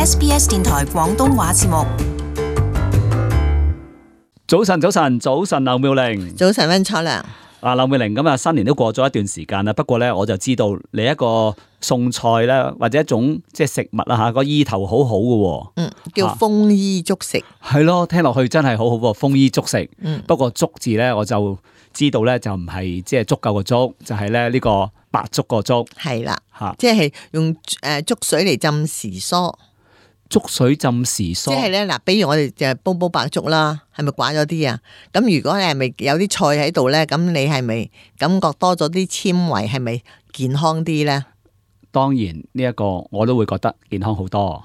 SBS 電台廣東話節目。早晨，劉妙玲。早晨，溫楚良。劉妙玲，咁啊，新年都過咗一段時間啦。不過咧，我就知道你一個餸菜咧，或者一種即係食物啦吓，個意頭好好嘅。叫豐衣足食。係咯，聽落去真係好好喎，豐衣足食。不過足字咧，我就知道咧，就唔係即係足夠個足，就係咧呢個白粥個粥。係啦，吓，即係用粥水嚟浸時蔬。粥水浸時蔬，即係咧嗱，比如我哋就煲白粥啦，係咪寡咗啲啊？咁如果你係咪有啲菜喺度咧，咁你係咪感覺多咗啲纖維，係咪健康啲咧？當然呢一個我都會覺得健康好多。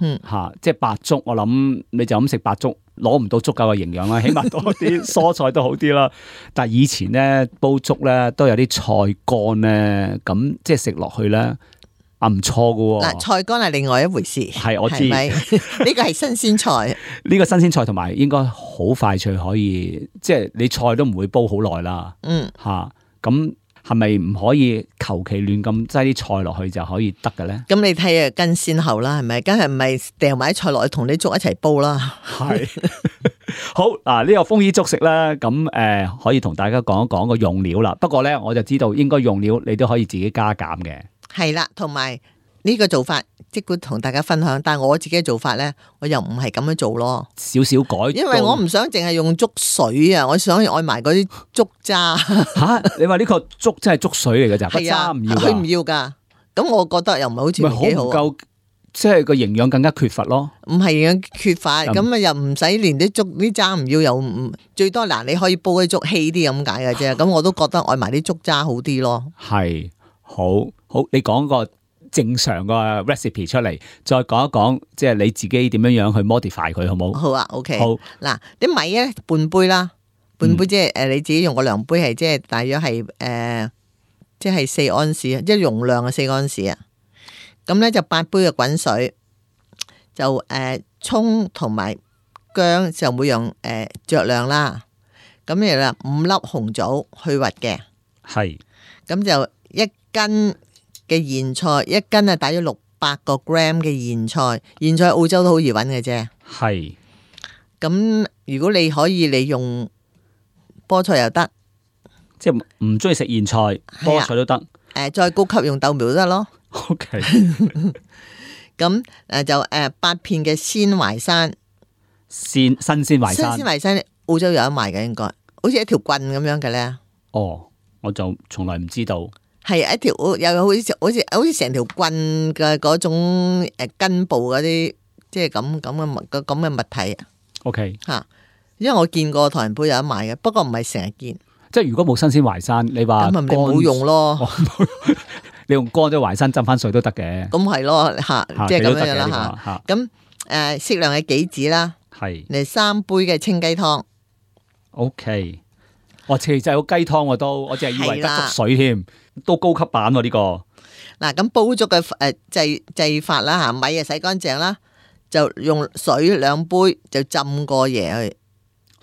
即係白粥，我諗你就咁食白粥，攞唔到足夠嘅營養啦，起碼多啲蔬菜都好啲啦。但係以前咧煲粥咧都有啲菜乾咧，咁即係食落去咧。唔錯噶喎！菜乾係另外一回事，係我知，呢個係新鮮菜。呢個新鮮菜同埋應該好快脆可以，即係你菜都唔會煲好耐啦。咁係咪唔可以求其亂咁擠啲菜落去就可以得嘅咧？咁你睇下跟先後啦，係咪？梗係唔係掉埋啲菜落去同啲粥一齊煲啦？係好嗱，呢個豐衣足食咧，咁可以同大家講一講個用料啦。不過咧，我就知道應該用料你都可以自己加減嘅。係啦，同埋呢個做法，即管同大家分享。但係我自己嘅做法咧，我又唔係咁樣做咯，少少改。因為我唔想淨係用粥水啊，我想愛埋嗰啲粥渣。吓，你話呢個粥真係粥水嚟嘅咋？係啊，唔要㗎，佢唔要噶。咁我覺得又唔係好似幾好。唔夠，即係個營養更加缺乏咯。唔係營養缺乏，咁啊又唔使連啲粥啲渣唔要，又唔最多嗱，你可以煲啲粥稀啲咁解嘅啫。咁我都覺得愛埋啲粥渣好啲咯。係。好，你講個正常個 recipe 出嚟，再講一講，即係你自己點樣去 modify 佢，好冇？好啊 ，OK。好，嗱，啲米咧半杯啦，半杯即係你自己用個量杯係即係大約係即係4安士啊，即係容量嘅4安士啊。咁咧就8杯嘅滾水，就蔥同埋薑就每樣酌量啦。咁又啦5粒紅棗去核嘅，係。咁就1斤嘅莧菜，一斤啊，大約600個 gram 嘅莧菜，莧菜澳洲都好易揾嘅啫。係。咁如果你可以利用菠菜又得，即係唔中意食莧菜，菠菜都得。再高級用豆苗都得咯。OK。咁就8片嘅鮮淮山，新鮮淮山。新鮮淮山澳洲有得賣嘅，應該好似一條棍咁樣嘅咧。哦，我就從來唔知道。係一條又好似成條棍嘅嗰種根部嗰啲，即係咁嘅物體啊。OK 吓，因為我見過唐人鋪有得賣嘅，不過唔係成日見。即係如果冇新鮮淮山，你話咁咪冇用咯。你用乾咗淮山浸翻水都得嘅。咁係咯吓，即係咁樣啦吓。咁適量嘅杞子啦，係嚟3杯嘅清雞湯。OK。我其實有雞湯我都，我淨係以為得粥水添，都高級版喎呢個。嗱，咁煲粥嘅製法啦吓，米啊洗乾淨啦，就用水2杯就浸過夜去。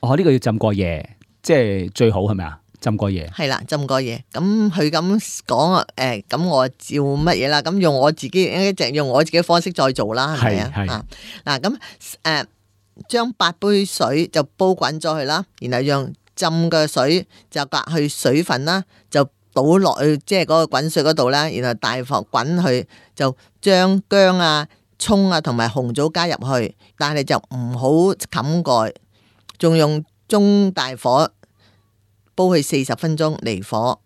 哦，呢個要浸過夜，即係最好係咪啊？浸過夜。係啦，浸過夜。咁佢咁講咁我照乜嘢啦？咁用我自己一直用我自己方式再做啦，係咪啊？係。嗱咁將8杯水就煲滾咗去啦，然後用浸嘅水就隔去水分啦，就倒落去即係嗰個滾水嗰度啦，然後大火滾去，就將薑啊、蔥啊同埋紅棗加入去，但係就唔好冚蓋，仲用中大火煲去40分鐘，離火，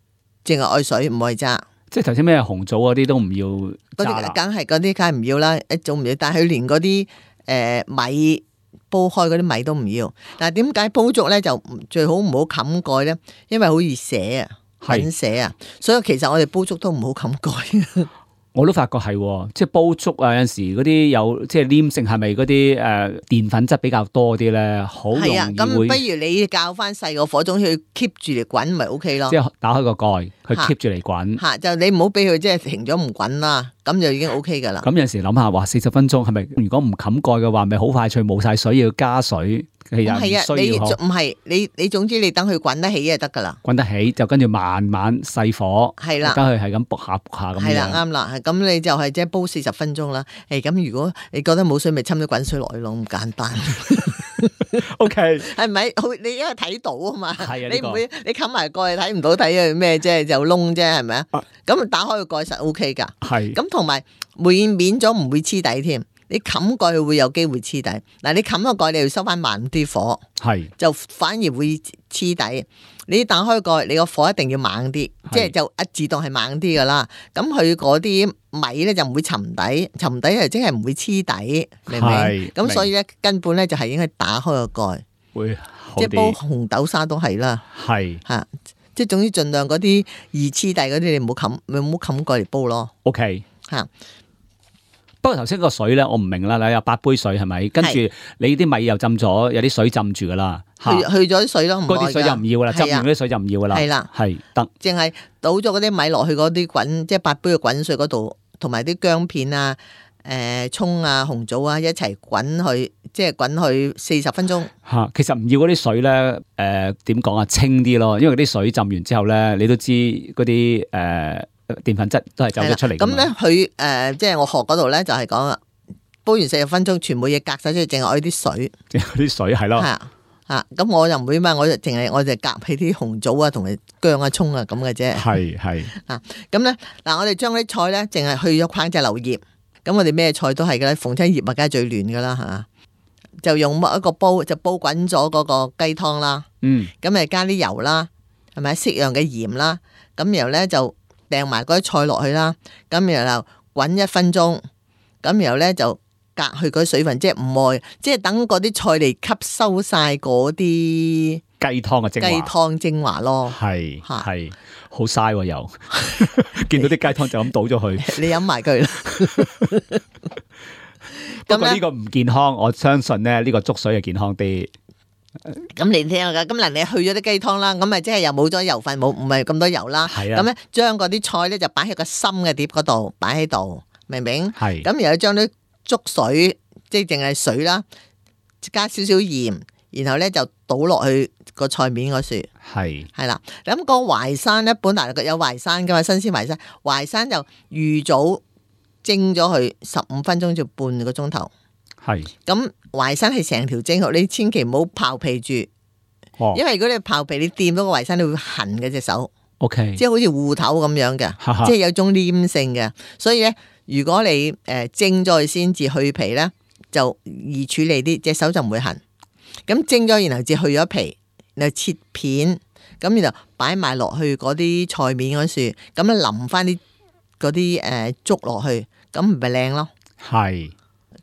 淨係愛水唔愛渣。即係頭先咩紅棗嗰啲都唔要渣啦，梗係唔要啦，一早唔要，但係佢連嗰啲米。煲開嗰啲米都唔要，但係點解煲粥咧就最好唔好冚蓋咧？因為好易瀉啊，滾瀉啊，所以其實我哋煲粥都唔好冚蓋。我都發覺係，即係煲粥啊，有陣時嗰啲有即係黏性，係咪嗰啲澱粉質比較多啲咧？好容易會。係啊，咁不如你較翻細個火種去 keep 住嚟滾，咪 OK 咯。即係打開個蓋，佢 keep 住嚟滾。吓，就你唔好俾佢即係停咗唔滾啦，咁就已經 OK 噶啦。咁有陣時諗下，話40分鐘係咪？如果唔冚蓋嘅話，咪好快脆冇晒水，要加水，其實唔係啊，需要唔係你總之你等佢滾得起就得噶啦。滾得起就跟住慢慢細火，係啦，等佢係咁卜下咁樣。係啦，啱啦。咁你就係即係煲40分鐘啦。咁如果你覺得冇水，咪侵啲滾水落去咯，咁簡單。OK，係咪？你因為睇到啊嘛，係啊，你唔會你冚埋蓋睇唔到睇佢咩啫，就窿啫，係咪啊？咁打開個蓋實 OK 噶。係。咁同埋免咗唔會黐底添。你冚蓋佢會有機會黐底。嗱，你冚個蓋，你要收翻慢啲火，係就反而會黐底。你打開蓋，你個火一定要猛啲，即係就自動係猛啲噶啦。咁佢嗰啲米咧就唔會沉底，沉底係即係唔會黐底，明唔明？咁所以咧根本咧就係應該打開個蓋，會即係煲紅豆沙都係啦，係嚇，即係總之盡量嗰啲易黐底嗰啲，你唔好冚蓋嚟煲咯。OK 嚇。不過頭先個水咧，我唔明啦。你有8杯水係咪？跟住你啲米又浸咗，有啲水浸住噶啦，去咗啲水咯，嗰啲水就唔要啦，浸完嗰啲水就唔要噶啦。係啦，係得，淨係倒咗嗰啲米落去嗰啲滾，即係8杯嘅滾水嗰度，同埋啲薑片啊、葱啊、紅棗啊一齊滾去，即係滾去40分鐘。嚇，其實唔要嗰啲水咧，點講啊？清啲咯，因為啲水浸完之後咧，你都知嗰啲澱粉質都係走咗出嚟。咁咧，佢即係我學嗰度咧，就係講煲完40分鐘，全部嘢隔晒出去，淨係愛啲水。淨係啲水係咯。咁我又唔會嘛，我就夾起啲紅棗啊，同埋薑啊、葱啊咁嘅啫。係。咁咧嗱，我哋將啲菜咧，淨係去咗框隻柳葉。咁我哋咩菜都係噶啦，逢親葉啊，梗係最嫩噶啦嚇。就用一個煲，就煲滾咗嗰個雞湯啦。咁咪加啲油啦，係咪適量嘅鹽啦？咁然後咧就掟埋嗰啲菜落去啦，咁然後滾1分鐘，咁然後咧就隔去嗰啲水分，即係唔愛，即係等嗰啲菜嚟吸收晒嗰啲雞湯嘅精華。雞湯精華咯，係好嘥喎又，見到啲雞湯就咁倒咗去。你飲埋佢啦。不過呢個唔健康，我相信咧呢個粥水係健康啲。咁你聽下噶，咁嗱你去咗啲雞湯啦，咁咪即係又冇咗油分，唔係咁多油啦。咁咧將嗰啲菜咧就擺喺個深嘅碟嗰度，擺喺度，明唔明？係。咁然後將啲粥水，即係淨係水啦，加少少鹽，然後咧就倒落去個菜面嗰處。係啦。咁個淮山咧，本來有淮山噶嘛，新鮮淮山就預早蒸咗佢15分鐘至半個鐘頭。係。咁淮山係成條蒸好，你千祈唔好刨皮住，因為如果你刨皮，你掂到個淮山，你會痕嘅隻手。OK， 即係好似芋頭咁樣嘅，即係有種黏性嘅。所以咧，如果你蒸咗佢先至去皮咧，就易處理啲，隻手就唔會痕。咁蒸咗然後至去咗皮，然後切片，咁然後擺埋落去嗰啲菜面嗰處，咁啊淋翻啲嗰啲粥落去，咁唔係靚咯。係。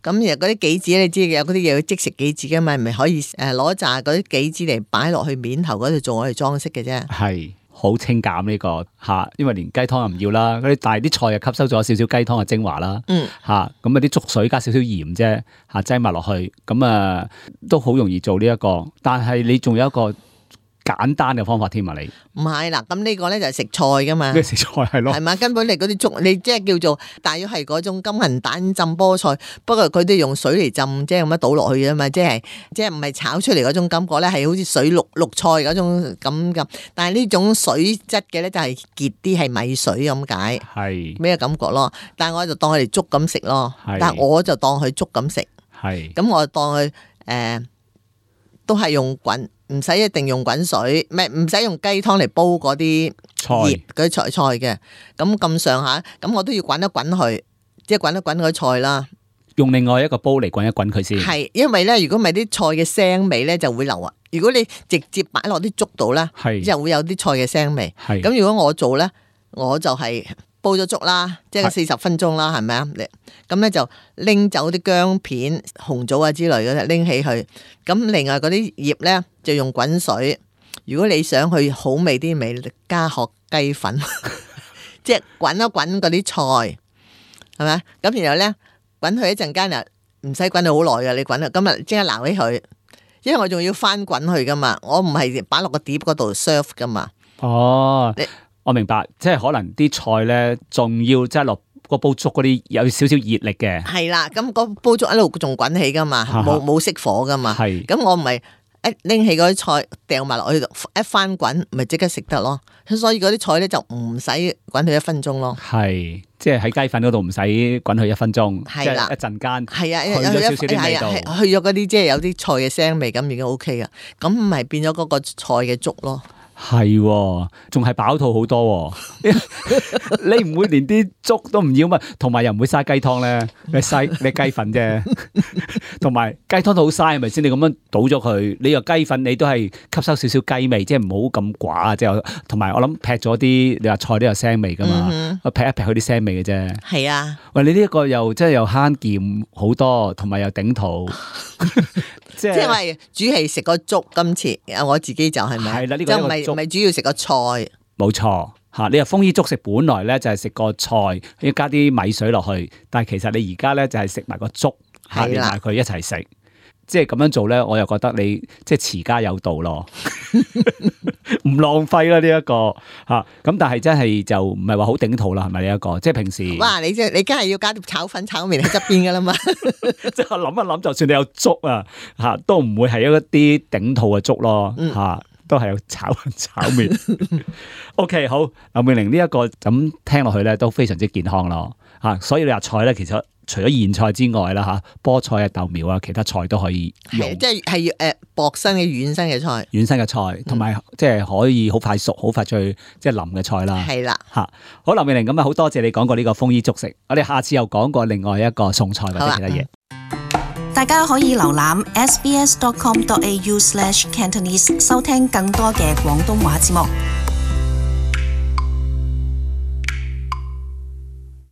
咁而嗰啲杞子你知嘅，有嗰啲嘢要即食杞子嘅嘛，咪可以攞紮嗰啲杞子嚟擺落去面頭嗰度做我哋裝飾嘅啫。係好清減呢個嚇，因為連雞湯又唔要啦，嗰啲但係啲菜又吸收咗少少雞湯嘅精華啦。嚇咁啊啲粥水加少少鹽啫嚇，擠埋落去咁都好容易做呢一個，但係你仲有一個簡單嘅方法添啊！你唔係啦，咁呢個咧就係食菜噶嘛，食菜係咯，係嘛？根本你嗰啲粥，你即係叫做大約係嗰種金銀蛋浸菠菜，不過佢都用水嚟浸，即係咁樣倒落去啊嘛，即係唔係炒出嚟嗰種感覺咧，係好似水綠菜嗰種咁。但係呢種水質嘅咧就係結啲係米水咁解，係咩感覺咯？但係我就當佢哋粥咁食咯，但係我就當佢粥咁食，係咁我就當佢都係用滾。唔使一定用滾水，唔使用雞湯嚟煲嗰啲葉嗰啲菜嘅，咁上下，咁我都要滾一滾佢，即係滾一滾嗰啲菜啦。用另外一個煲嚟滾一滾佢先。係，因為咧，如果唔係啲菜嘅腥味咧就會流啊。如果你直接擺落啲粥度咧，就會有啲菜嘅腥味。係。咁如果我做咧，我就係煲咗粥啦，即係40分鐘啦，係咪啊？咁咧就拎走啲薑片、紅棗啊之類嗰啲，拎起去。咁另外嗰啲葉咧就用滾水。如果你想去好味啲味，加殼雞粉，即係滾一滾嗰啲菜，係咪？咁然後咧滾佢一陣間又唔使滾到好耐嘅，你滾啊，今日即刻撈起佢，因為我仲要翻滾佢噶嘛，我唔係擺落個碟嗰度 serve 噶嘛。哦。我明白，即係可能啲菜咧，仲要即係落個煲粥嗰啲有少少熱力嘅。係啦，咁個煲粥一路仲滾起噶嘛，冇熄火噶嘛。係，咁我唔係一拎起嗰啲菜掉埋落去度，一翻滾咪即刻食得咯。所以嗰啲菜咧就唔使滾佢1分鐘咯。係，即係喺雞粉嗰度唔使滾佢1分鐘，係啦，一陣間係啊，去咗少少啲味道，去咗嗰啲即係有啲菜嘅腥味，咁已經 OK 噶。咁咪變咗嗰個菜嘅粥咯。係，仲係飽肚好多。你唔會連啲粥都唔要嘛？同埋又唔會嘥雞湯咧，你雞粉啫。同埋雞湯都好嘥，係咪先？你咁樣倒咗佢，你又雞粉，你都係吸收少少雞味，即係唔好咁寡啊！即係同埋我諗劈咗啲，你話菜都有腥味噶嘛？劈一劈佢啲腥味嘅啫。係啊，喂，你呢一個又真係又慳儉好多，同埋又頂肚。即係我係主係食個粥，今次我自己就係咪？係啦，呢個就唔係主要食個菜。冇錯嚇，你話豐衣足食本來咧就係食個菜，要加啲米水落去，但係其實你而家咧就係食埋個粥，連埋佢一齊食。即係咁樣做咧，我又覺得你即係持家有道咯，唔浪費啦呢一個嚇。咁但係真係就唔係話好頂肚啦，係咪呢一個？即係平時哇，你梗係要加啲炒粉炒麵喺側邊噶啦嘛。即係諗一諗，就算你有粥啊嚇，都唔會係一啲頂肚嘅粥咯嚇。都係有炒粉炒麵。OK， 好，劉美玲呢一個咁聽落去咧都非常之健康咯嚇。所以你話菜咧，其實除咗莧菜之外啦嚇，菠菜啊、豆苗啊，其他菜都可以用。即係薄身嘅軟身嘅菜，軟身嘅菜，同埋即係可以好快熟、好快脆，即係腍嘅菜啦。係啦嚇，好，劉美玲咁啊，好多謝你講過呢個豐衣足食。我哋下次又講過另外一個餸菜或者其他嘢。大家可以瀏覽 sbs.com.au/cantonese 收聽更多嘅廣東話節目。